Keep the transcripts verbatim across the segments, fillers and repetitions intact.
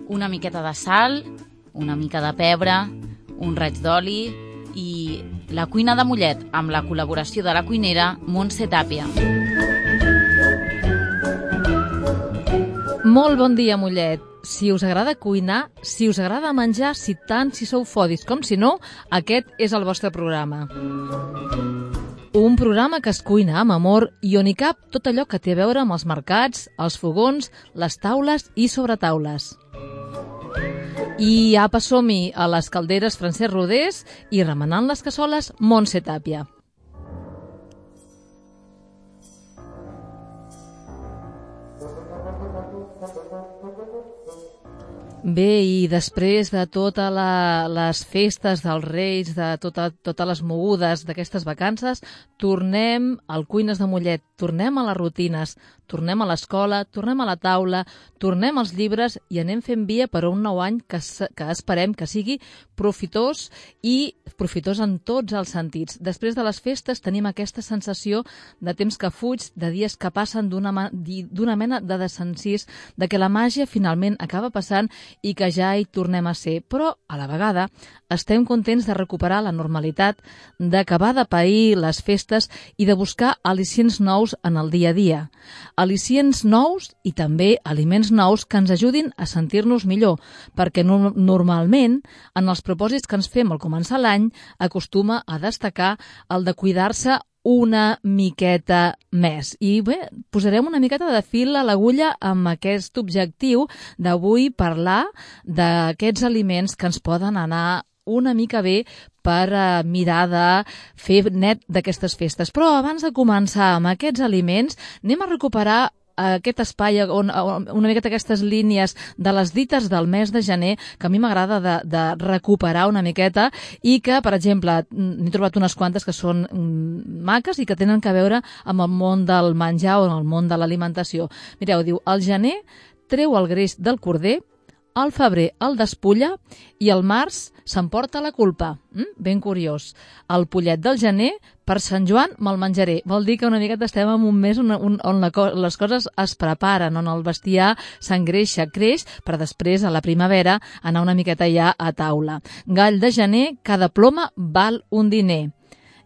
una miqueta de sal, una mica de pebre, un raig d'oli i la cuina de Mollet amb la col·laboració de la cuinera Montse Tàpia. Molt bon dia, Mollet. Si us agrada cuinar, si us agrada menjar, si tant, si sou fodis com si no, aquest és el vostre programa. Un programa que es cuina amb amor i on hi cap tot allò que té a veure amb els mercats, els fogons, les taules i sobretaules. I apa, som-hi a les calderes Francesc Rodés i remenant les cassoles Montse Tàpia. Bé, i després de totes la, les festes dels Reis, de tota, totes les mogudes d'aquestes vacances, tornem al Cuines de Mollet, tornem a les rutines, tornem a l'escola, tornem a la taula, tornem als llibres i anem fent via per a un nou any que, que esperem que sigui profitós i profitós en tots els sentits. Després de les festes tenim aquesta sensació de temps que fuig, de dies que passen d'una d'una mena de desencís, de que la màgia finalment acaba passant i que ja hi tornem a ser. Però, a la vegada, estem contents de recuperar la normalitat, d'acabar de pair les festes i de buscar al·licients nous en el dia a dia. Al·licients nous i també aliments nous que ens ajudin a sentir-nos millor, perquè no, normalment, en els propòsits que ens fem al començar l'any, acostuma a destacar el de cuidar-se una miqueta més. I bé, posarem una miqueta de fil a l'agulla amb aquest objectiu d'avui parlar d'aquests aliments que ens poden anar una mica bé per uh, mirar de fer net d'aquestes festes. Però abans de començar amb aquests aliments, anem a recuperar aquest espai, on, on, una miqueta aquestes línies de les dites del mes de gener, que a mi m'agrada de, de recuperar una miqueta i que, per exemple, n'he trobat unes quantes que són mm, maques i que tenen a veure amb el món del menjar o amb el món de l'alimentació. Mireu, diu, el gener treu el greix del corder, al febrer el despulla i al març s'emporta la culpa. Mm? Ben curiós. El pollet del gener, per Sant Joan me'l menjaré. Vol dir que una miqueta estem en un mes on, on, on la, les coses es preparen, on el bestiar s'engreixa, creix, per després, a la primavera, anar una miqueta ja a taula. Gall de gener, cada ploma val un diner.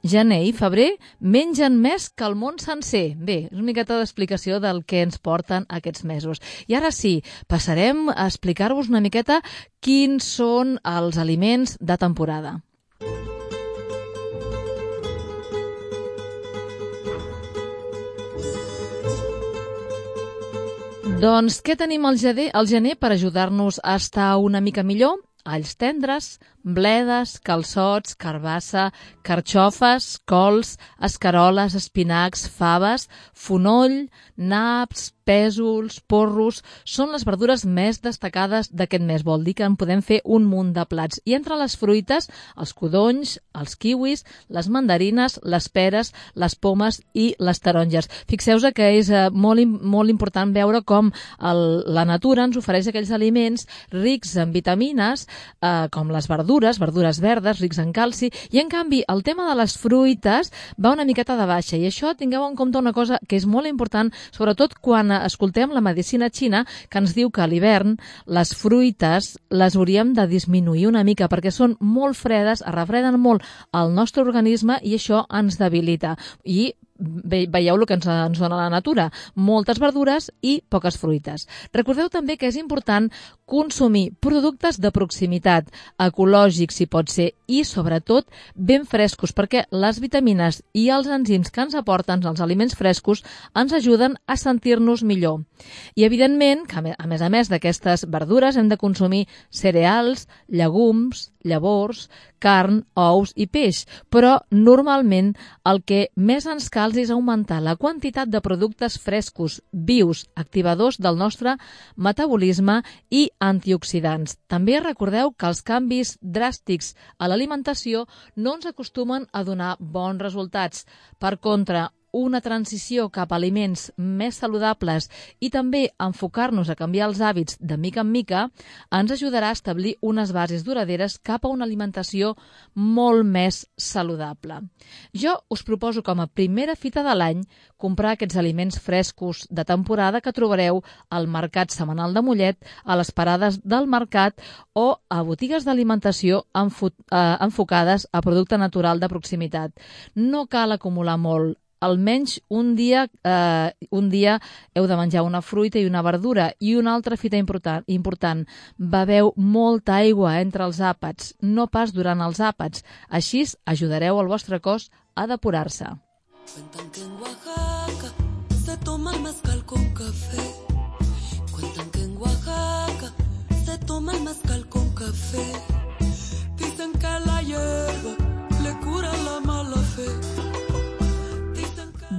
Gener i febrer mengen més que el món sencer. Bé, és una miqueta d'explicació del que ens porten aquests mesos. I ara sí, passarem a explicar-vos una miqueta quins són els aliments de temporada. Doncs què tenim al gener, al gener per ajudar-nos a estar una mica millor? Alls tendres, bledes, calçots, carbassa, carxofes, cols, escaroles, espinacs, faves, fonoll, naps, pèsols, porros, són les verdures més destacades d'aquest mes. Vol dir que en podem fer un munt de plats. I entre les fruites, els codonys, els kiwis, les mandarines, les peres, les pomes i les taronges. Fixeu-vos que és eh, molt, molt important veure com el, la natura ens ofereix aquells aliments rics en vitamines, eh, com les verdures, verdures verdes, rics en calci, i en canvi el tema de les fruites va una miqueta de baixa. I això tingueu en compte una cosa que és molt important, sobretot quan escoltem la medicina xina, que ens diu que a l'hivern les fruites les hauríem de disminuir una mica perquè són molt fredes, es refreden molt al nostre organisme i això ens debilita. I Ve, veieu el que ens, ens dona la natura, moltes verdures i poques fruites. Recordeu també que és important consumir productes de proximitat, ecològics si pot ser, i sobretot ben frescos, perquè les vitamines i els enzims que ens aporten els aliments frescos ens ajuden a sentir-nos millor. I evidentment, que a més a més d'aquestes verdures hem de consumir cereals, llegums, llavors, carn, ous i peix, però normalment el que més ens cal és augmentar la quantitat de productes frescos, vius, activadors del nostre metabolisme i antioxidants. També recordeu que els canvis dràstics a l'alimentació no ens acostumen a donar bons resultats. Per contra, una transició cap a aliments més saludables i també enfocar-nos a canviar els hàbits de mica en mica, ens ajudarà a establir unes bases duraderes cap a una alimentació molt més saludable. Jo us proposo com a primera fita de l'any comprar aquests aliments frescos de temporada que trobareu al Mercat Setmanal de Mollet, a les parades del mercat o a botigues d'alimentació enfo- eh, enfocades a producte natural de proximitat. No cal acumular molt. Almenys un dia, eh, un dia heu de menjar una fruita i una verdura. I una altra fita important, important, beveu molta aigua entre els àpats, no pas durant els àpats. Així ajudareu el vostre cos a depurar-se. Cuentan que en Oaxaca se toma el mezcal con café. Cuentan que en Oaxaca se toma el mezcal con café. Dicen que la hierba le cura la mala fe.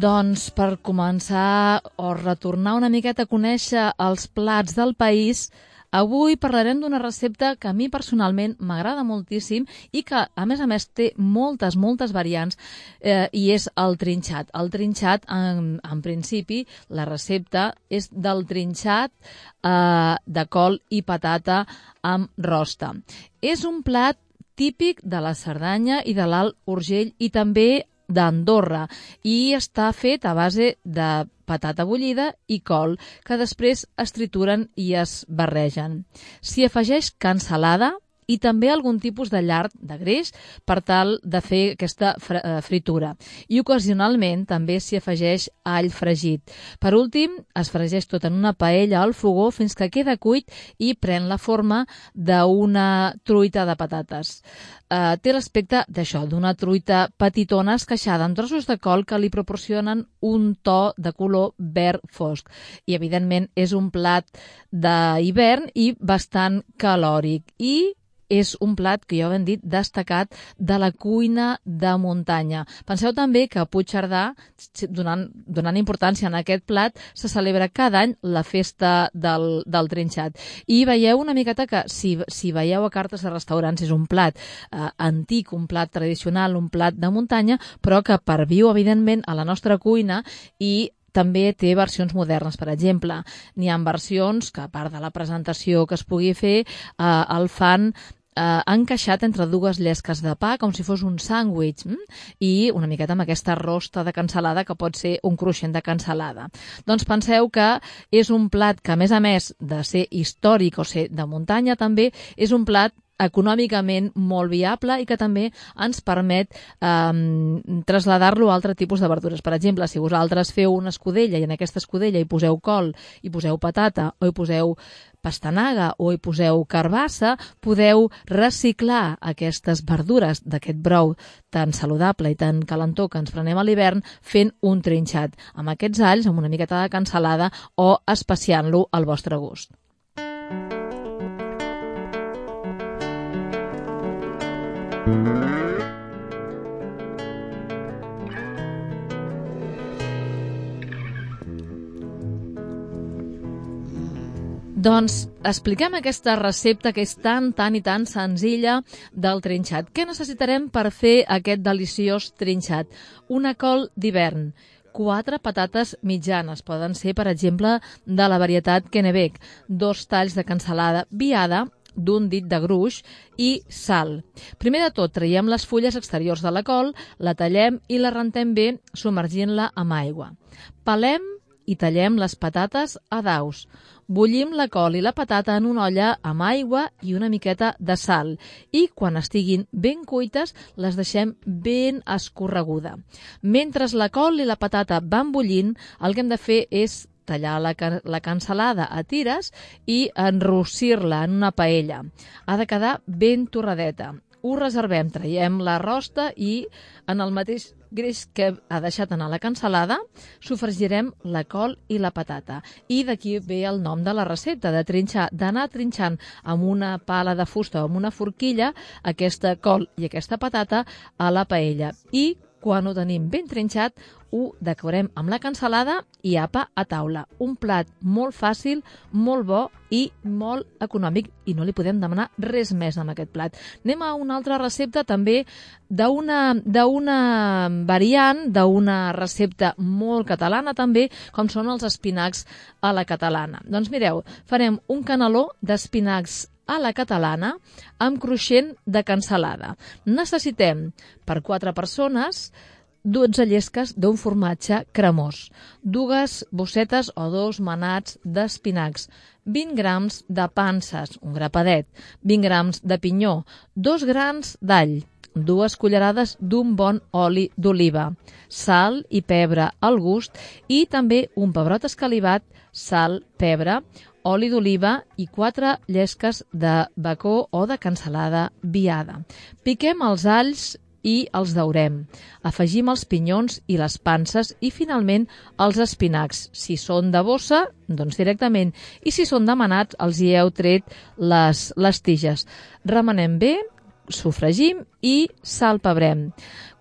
Doncs per començar o retornar una miqueta a conèixer els plats del país, avui parlarem d'una recepta que a mi personalment m'agrada moltíssim i que, a més a més, té moltes, moltes variants eh, i és el trinxat. El trinxat, en, en principi, la recepta és del trinxat eh, de col i patata amb rosta. És un plat típic de la Cerdanya i de l'Alt Urgell i també d'Andorra i està fet a base de patata bullida i col, que després es trituren i es barregen. S'hi afegeix cansalada i també algun tipus de llard de greix per tal de fer aquesta fritura. I ocasionalment també s'hi afegeix all fregit. Per últim, es fregeix tot en una paella al fogó fins que queda cuit i pren la forma d'una truita de patates. Uh, té l'aspecte d'això, d'una truita petitona esqueixada en trossos de col que li proporcionen un to de color verd fosc. I, evidentment, és un plat d'hivern i bastant calòric. I és un plat que jo hem dit destacat de la cuina de muntanya. Penseu també que a Puigcerdà, donant, donant importància en aquest plat, se celebra cada any la festa del, del trinxat. I veieu una miqueta que si, si veieu a cartes de restaurants és un plat eh, antic, un plat tradicional, un plat de muntanya, però que perviu evidentment a la nostra cuina i també té versions modernes, per exemple. N'hi ha versions que, a part de la presentació que es pugui fer, eh, el fan eh, encaixat entre dues llesques de pa, com si fos un sàndwich, hm? I una miqueta amb aquesta rosta de cansalada, que pot ser un cruixent de cansalada. Doncs penseu que és un plat que, a més a més de ser històric o ser de muntanya, també és un plat econòmicament molt viable i que també ens permet eh, traslladar-lo a altre tipus de verdures. Per exemple, si vosaltres feu una escudella i en aquesta escudella hi poseu col, hi poseu patata o hi poseu pastanaga o hi poseu carbassa, podeu reciclar aquestes verdures d'aquest brou tan saludable i tan calentó que ens prenem a l'hivern fent un trinxat amb aquests alls, amb una miqueta de cansalada o especiant-lo al vostre gust. Doncs expliquem aquesta recepta que és tan, tan i tan senzilla del trinxat. Què necessitarem per fer aquest deliciós trinxat? Una col d'hivern, quatre patates mitjanes, poden ser, per exemple, de la varietat Kennebec, dos talls de cansalada viada, d'un dit de gruix i sal. Primer de tot, traiem les fulles exteriors de la col, la tallem i la rentem bé submergint-la amb aigua. Pelem i tallem les patates a daus. Bullim la col i la patata en una olla amb aigua i una miqueta de sal i quan estiguin ben cuites les deixem ben escorreguda. Mentre la col i la patata van bullint, el que hem de fer és tallar la, la cansalada a tires i enrossir-la en una paella. Ha de quedar ben torradeta. Ho reservem, traiem la rosta i en el mateix greix que ha deixat anar la cansalada, sofregirem la col i la patata. I d'aquí ve el nom de la recepta, de trinxar, d'anar trinxant amb una pala de fusta o amb una forquilla aquesta col i aquesta patata a la paella. I Quan ho tenim ben trinxat, ho decorem amb la cansalada i apa a taula. Un plat molt fàcil, molt bo i molt econòmic, i no li podem demanar res més amb aquest plat. Anem a una altra recepta també d'una d'una variant, d'una recepta molt catalana també, com són els espinacs a la catalana. Doncs mireu, farem un caneló d'espinacs a la catalana amb cruixent de cansalada. Necessitem per quatre persones dotze llesques d'un formatge cremós, dues bossetes o dos manats d'espinacs, vint grams de panses, un grapadet, vint grams de pinyó, dos grans d'all, dues cullerades d'un bon oli d'oliva, sal i pebre al gust i també un pebrot escalivat, sal, pebre, oli d'oliva i quatre llesques de bacó o de cansalada viada. Piquem els alls i els daurem. Afegim els pinyons i les panses i, finalment, els espinacs. Si són de bossa, doncs directament. I si són demanats, els hi heu tret les, les tiges. Remenem bé, sofregim i salpebrem.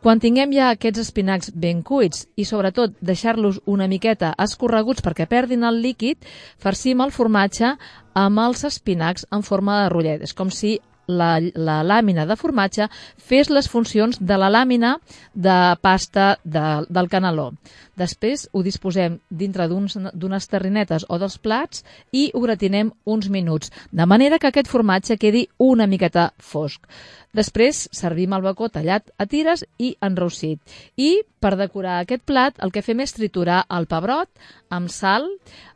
Quan tinguem ja aquests espinacs ben cuits i, sobretot, deixar-los una miqueta escorreguts perquè perdin el líquid, farcim el formatge amb els espinacs en forma de rotllet. És com si la, la làmina de formatge fes les funcions de la làmina de pasta de, del caneló. Després ho disposem dintre d'unes terrinetes o dels plats i ho gratinem uns minuts, de manera que aquest formatge quedi una miqueta fosc. Després servim el bacó tallat a tires i enrossit. I per decorar aquest plat el que fem és triturar el pebrot amb sal,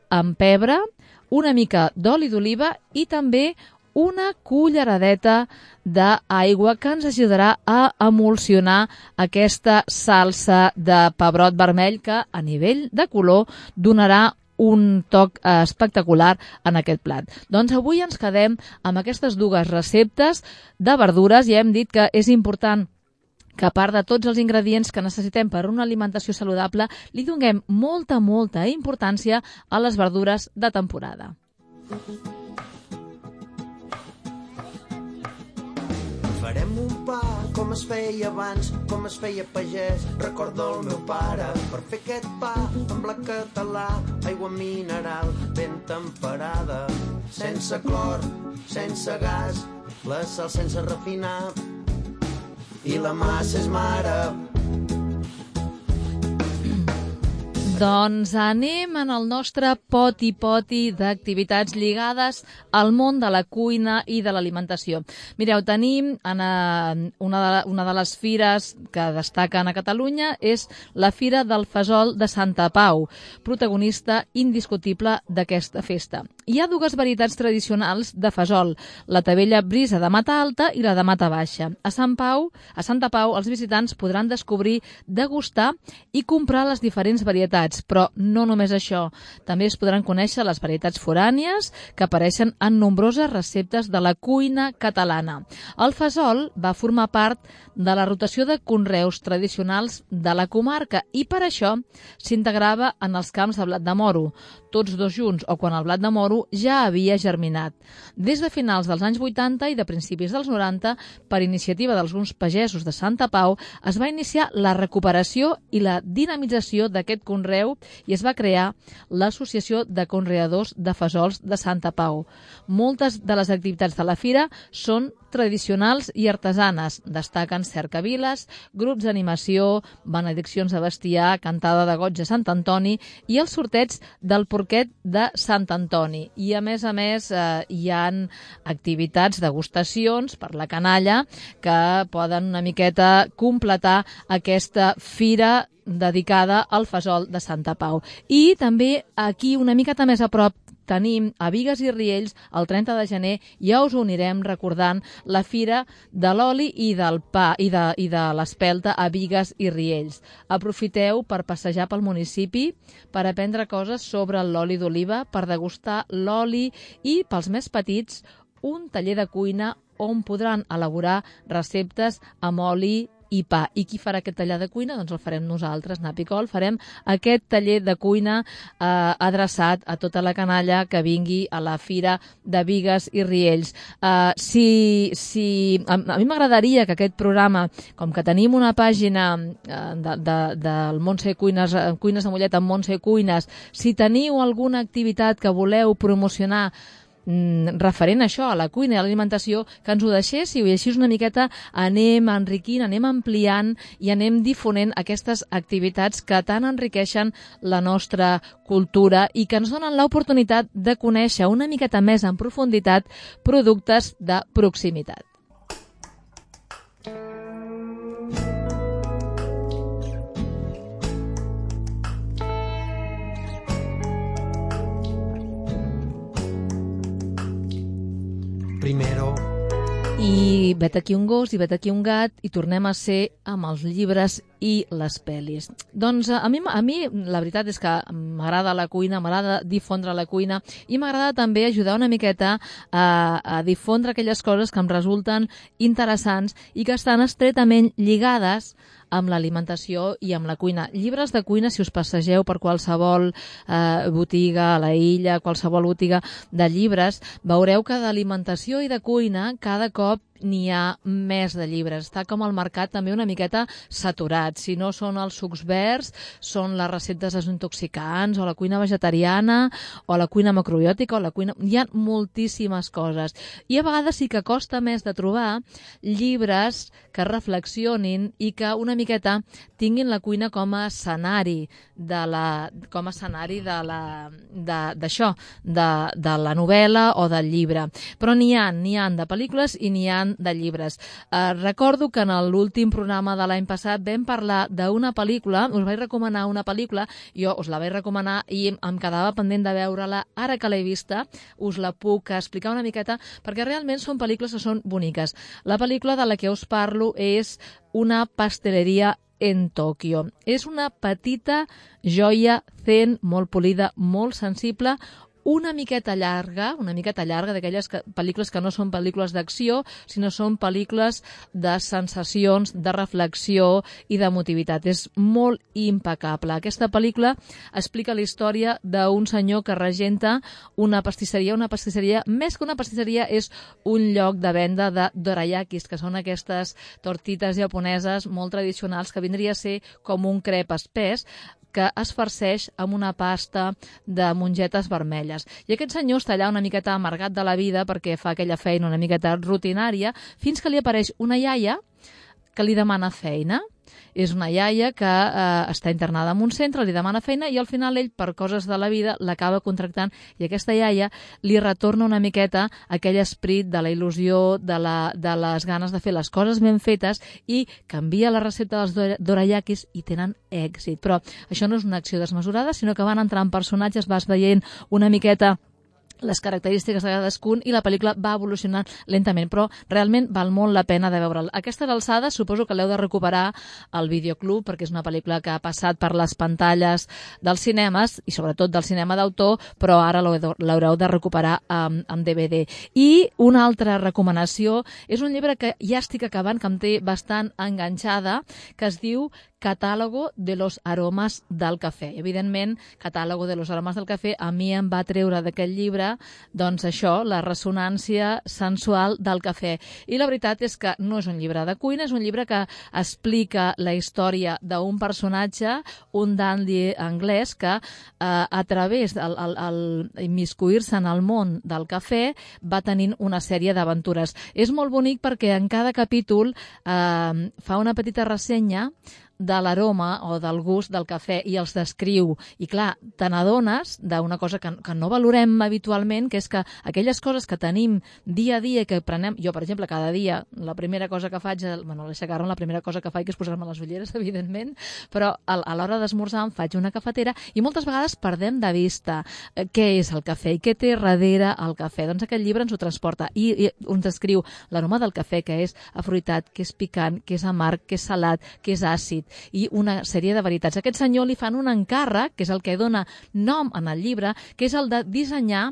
amb pebre, una mica d'oli d'oliva i també una culleradeta d'aigua que ens ajudarà a emulsionar aquesta salsa de pebrot vermell que a nivell de color donarà un toc espectacular en aquest plat. Doncs avui ens quedem amb aquestes dues receptes de verdures i hem dit que és important que a part de tots els ingredients que necessitem per a una alimentació saludable, li donem molta, molta importància a les verdures de temporada. Farem un pa com es feia abans, com es feia pagès, recordo el meu pare. Per fer aquest pa en blat català, aigua mineral ben temperada, sense clor, sense gas, la sal sense refinar i la massa és mare. Doncs anem en el nostre poti-poti d'activitats lligades al món de la cuina i de l'alimentació. Mireu, tenim en una de, una de les fires que destaquen a Catalunya és la Fira del Fesol de Santa Pau, protagonista indiscutible d'aquesta festa. Hi ha dues varietats tradicionals de fesol, la tabella brisa de mata alta i la de mata baixa. A Sant Pau, a Santa Pau, els visitants podran descobrir, degustar i comprar les diferents varietats. Però no només això, també es podran conèixer les varietats forànies que apareixen en nombroses receptes de la cuina catalana. El fesol va formar part de la rotació de conreus tradicionals de la comarca i per això s'integrava en els camps de blat de moro, tots dos junts o quan el blat de moro ja havia germinat. Des de finals dels anys vuitanta i de principis dels noranta, per iniciativa d'alguns pagesos de Santa Pau, es va iniciar la recuperació i la dinamització d'aquest conreu i es va crear l'Associació de Conreadors de Fesols de Santa Pau. Moltes de les activitats de la fira són tradicionals i artesanes. Destaquen cercaviles, grups d'animació, benediccions de bestiar, cantada de goig de Sant Antoni i els sorteig del porquet de Sant Antoni. I a més a més eh, hi ha activitats, degustacions per la canalla que poden una miqueta completar aquesta fira dedicada al fesol de Santa Pau. I també aquí una miqueta més a prop tenim a Bigues i Riells el trenta de gener, ja us ho anirem recordant, la Fira de l'Oli i del Pa i de, i de l'Espelta a Bigues i Riells. Aprofiteu per passejar pel municipi, per aprendre coses sobre l'oli d'oliva, per degustar l'oli i, pels més petits, un taller de cuina on podran elaborar receptes amb oli i pa. I qui farà aquest taller de cuina? Doncs el farem nosaltres, Napicol. Farem aquest taller de cuina eh, adreçat a tota la canalla que vingui a la Fira de Bigues i Riells. Eh, si, si, a, a mi m'agradaria que aquest programa, com que tenim una pàgina eh, de, de, del Montse Cuines, Cuines de Mollet amb Montse Cuines, si teniu alguna activitat que voleu promocionar referent a això, a la cuina i a l'alimentació, que ens ho deixéssiu i així una miqueta anem enriquint, anem ampliant i anem difonent aquestes activitats que tant enriqueixen la nostra cultura i que ens donen l'oportunitat de conèixer una miqueta més en profunditat productes de proximitat. Primero. I vet aquí un gos i vet aquí un gat i tornem a ser amb els llibres i les pel·lis. Doncs a mi, a mi la veritat és que m'agrada la cuina, m'agrada difondre la cuina i m'agrada també ajudar una miqueta a, a difondre aquelles coses que em resulten interessants i que estan estretament lligades amb l'alimentació i amb la cuina. Llibres de cuina, si us passegeu per qualsevol eh, botiga a la illa, qualsevol botiga de llibres, veureu que d'alimentació i de cuina cada cop n'hi ha més de llibres. Està com el mercat també una miqueta saturat. Si no són els sucs verds, són les receptes desintoxicants, o la cuina vegetariana, o la cuina macrobiòtica, o la cuina... Hi ha moltíssimes coses. I a vegades sí que costa més de trobar llibres que reflexionin i que una miqueta tinguin la cuina com a escenari de la, com a escenari de la, de, d'això, de, de la novel·la o del llibre. Però n'hi ha, n'hi ha de pel·lícules i n'hi ha de llibres. Eh, recordo que en l'últim programa de l'any passat vam parlar d'una pel·lícula, us vaig recomanar una pel·lícula, jo us la vaig recomanar i em quedava pendent de veure-la. Ara que l'he vista, us la puc explicar una miqueta, perquè realment són pel·lícules que són boniques. La pel·lícula de la que us parlo és Una pasteleria en Tòquio. És una petita joia zen, molt polida, molt sensible, una miqueta llarga, una miqueta llarga d'aquelles pel·lícules que no són pel·lícules d'acció, sinó són pel·lícules de sensacions, de reflexió i d'emotivitat. És molt impecable. Aquesta pel·lícula explica la història d'un senyor que regenta una pastisseria. Una pastisseria, més que una pastisseria, és un lloc de venda de dorayakis, que són aquestes tortites japoneses molt tradicionals, que vindria a ser com un crep espès, que es farceix amb una pasta de mongetes vermelles. I aquest senyor està allà una miqueta amargat de la vida perquè fa aquella feina una miqueta rutinària, fins que li apareix una iaia que li demana feina. És una iaia que eh, està internada en un centre, li demana feina i al final ell, per coses de la vida, l'acaba contractant i aquesta iaia li retorna una miqueta aquell esperit de la il·lusió, de, la, de les ganes de fer les coses ben fetes i canvia la recepta dels dorayakis i tenen èxit. Però això no és una acció desmesurada, sinó que van entrar en personatges, vas veient una miqueta les característiques de cadascun i la pel·lícula va evolucionant lentament, però realment val molt la pena de veure'l. A aquestes alçades suposo que l'heu de recuperar al videoclub perquè és una pel·lícula que ha passat per les pantalles dels cinemes i sobretot del cinema d'autor, però ara l'haureu de recuperar amb, amb D V D. I una altra recomanació és un llibre que ja estic acabant, que em té bastant enganxada, que es diu Catàlogo de los aromas del cafè. Evidentment, Catàlogo de los aromas del cafè a mi em va treure d'aquest llibre, doncs això, la ressonància sensual del cafè. I la veritat és que no és un llibre de cuina, és un llibre que explica la història d'un personatge, un dandy anglès que eh, a través d'immiscuir-se en el món del cafè va tenint una sèrie d'aventures. És molt bonic perquè en cada capítol eh, fa una petita ressenya de l'aroma o del gust del cafè i els descriu. I clar, te n'adones d'una cosa que, que no valorem habitualment, que és que aquelles coses que tenim dia a dia i que prenem... Jo, per exemple, cada dia, la primera cosa que faig, bueno, l'aixecar-me, la primera cosa que faig és posar-me les ulleres, evidentment, però a, a l'hora d'esmorzar em faig una cafetera i moltes vegades perdem de vista eh, què és el cafè i què té darrere el cafè. Doncs aquest llibre ens ho transporta i, i ens descriu l'aroma del cafè, que és afruitat, que és picant, que és amarg, que és salat, que és àcid, i una sèrie de veritats. A aquest senyor li fan un encàrrec, que és el que dona nom en el llibre, que és el de dissenyar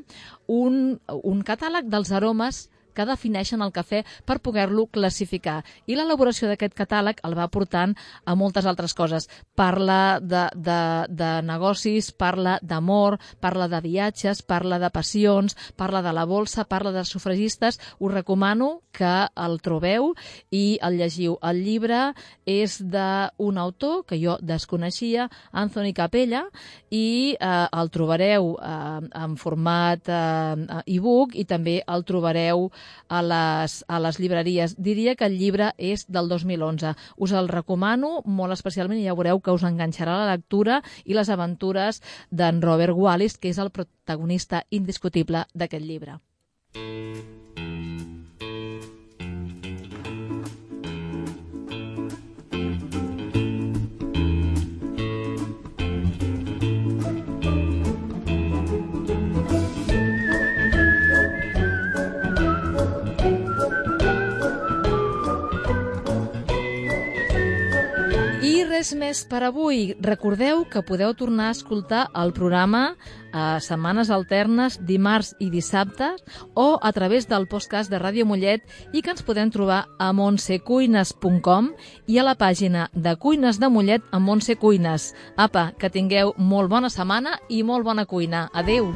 un, un catàleg dels aromes que defineixen el cafè per poder-lo classificar. I l'elaboració d'aquest catàleg el va portant a moltes altres coses. Parla de, de, de negocis, parla d'amor, parla de viatges, parla de passions, parla de la bolsa, parla de sufragistes. Us recomano que el trobeu i el llegiu. El llibre és d'un autor que jo desconeixia, Anthony Capella, i eh, el trobareu eh, en format eh, e-book i també el trobareu a les, a les llibreries. Diria que el llibre és del dos mil onze. Us el recomano molt especialment i ja veureu que us enganxarà la lectura i les aventures d'en Robert Wallis, que és el protagonista indiscutible d'aquest llibre. Res més per avui. Recordeu que podeu tornar a escoltar el programa a setmanes alternes, dimarts i dissabtes, o a través del podcast de Ràdio Mollet, i que ens podem trobar a montse cuines punt com i a la pàgina de Cuines de Mollet amb Montse Cuines. Apa, que tingueu molt bona setmana i molt bona cuina. Adéu!